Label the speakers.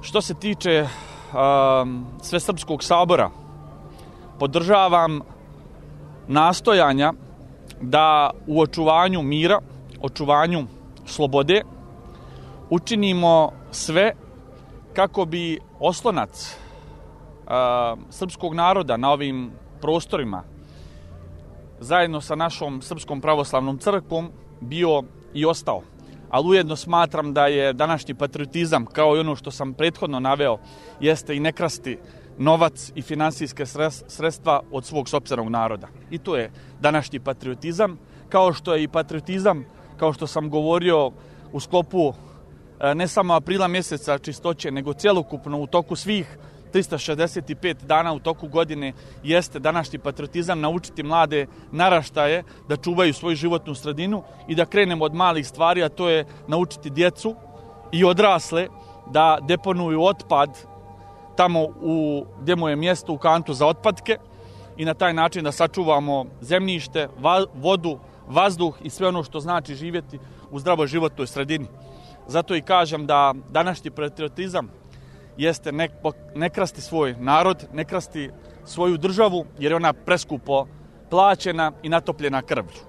Speaker 1: Što se tiče Svesrpskog sabora, podržavam nastojanja da u očuvanju mira, očuvanju slobode učinimo sve kako bi oslonac srpskog naroda na ovim prostorima zajedno sa našom Srpskom pravoslavnom crkvom bio i ostao. Ali ujedno smatram da je današnji patriotizam, kao i ono što sam prethodno naveo, jeste i ne krasti novac i finansijske sredstva od svog sopstvenog naroda. I to je današnji patriotizam, kao što je i patriotizam, kao što sam govorio u sklopu ne samo aprila mjeseca čistoće, nego cjelokupno u toku svih 365 dana u toku godine jeste današnji patriotizam naučiti mlade naraštaje da čuvaju svoju životnu sredinu i da krenemo od malih stvari, a to je naučiti djecu i odrasle da deponuju otpad tamo gdje mu je mjesto, u kantu za otpadke, i na taj način da sačuvamo zemljište, vodu, vazduh i sve ono što znači živjeti u zdravoj životnoj sredini. Zato i kažem da današnji patriotizam jeste ne krasti svoj narod, ne krasti svoju državu, jer je ona preskupo plaćena i natopljena krvlju.